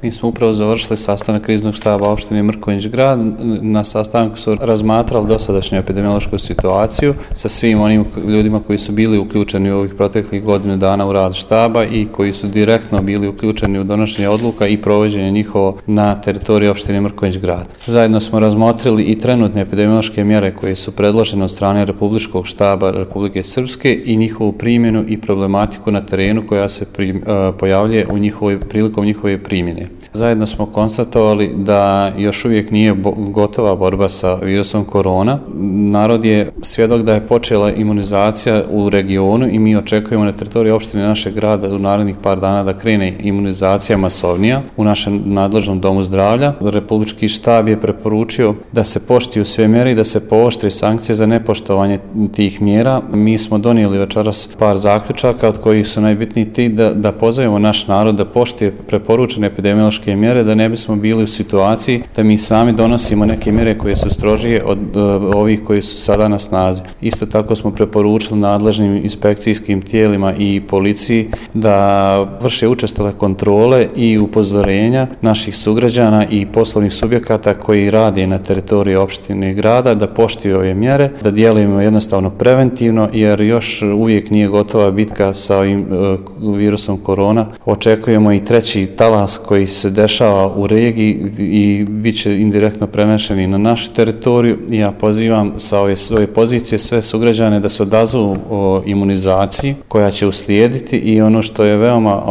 Mi smo upravo završili sastanak kriznog štaba opštine Mrkonjić Grad. Na sastanku su razmatrali dosadašnju epidemiološku situaciju sa svim onim ljudima koji su bili uključeni u ovih proteklih godinu dana u rad štaba i koji su direktno bili uključeni u donošenje odluka i provođenje njihovo na teritoriji opštine Mrkonjić Grad. Zajedno smo razmotrili i trenutne epidemiološke mjere koje su predložene od strane Republičkog štaba Republike Srpske i njihovu primjenu i problematiku na terenu koja se pojavljuje prilikom njihove primjene. Zajedno smo konstatovali da još uvijek nije gotova borba sa virusom korona. Narod je svjedok da je počela imunizacija u regionu i mi očekujemo na teritoriji opštine našeg grada u narednih par dana da krene imunizacija masovnija u našem nadležnom domu zdravlja. Republički štab je preporučio da se poštuju sve mjere i da se pooštre sankcije za nepoštovanje tih mjera. Mi smo donijeli večeras par zaključaka od kojih su najbitniji ti da pozovemo naš narod da poštuje preporučene epidemiološke mjere, da ne bismo bili u situaciji da mi sami donosimo neke mjere koje su strožije od ovih koji su sada na snazi. Isto tako smo preporučili nadležnim inspekcijskim tijelima i policiji da vrše učestale kontrole i upozorenja naših sugrađana i poslovnih subjekata koji rade na teritoriji opštine i grada, da poštuju ove mjere, da djelujemo jednostavno preventivno jer još uvijek nije gotova bitka sa ovim virusom korona. Očekujemo i treći talas koji se dešava u regiji i bit će indirektno prenešeni na našu teritoriju. Ja pozivam sa ove svoje pozicije sve sugrađane da se odazovu o imunizaciji koja će uslijediti i ono što je veoma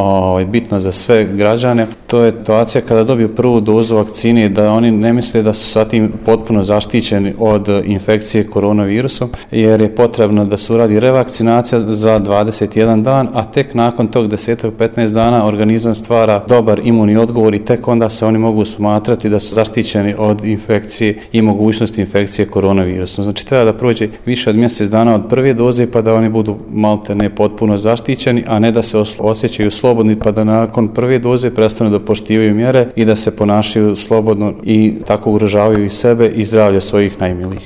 bitno za sve građane, to je situacija kada dobiju prvu dozu vakcine, da oni ne misle da su sa tim potpuno zaštićeni od infekcije koronavirusom, jer je potrebno da se uradi revakcinacija za 21 dan, a tek nakon tog 10-15 dana organizam stvara dobar imunni odgovor i tek onda se oni mogu smatrati da su zaštićeni od infekcije i mogućnosti infekcije koronavirusom. Znači treba da prođe više od mjesec dana od prve doze pa da oni budu malte ne potpuno zaštićeni, a ne da se osjećaju slobodni pa da nakon prve doze prestanu da poštivaju mjere i da se ponašaju slobodno i tako ugrožavaju i sebe i zdravlje svojih najmilijih.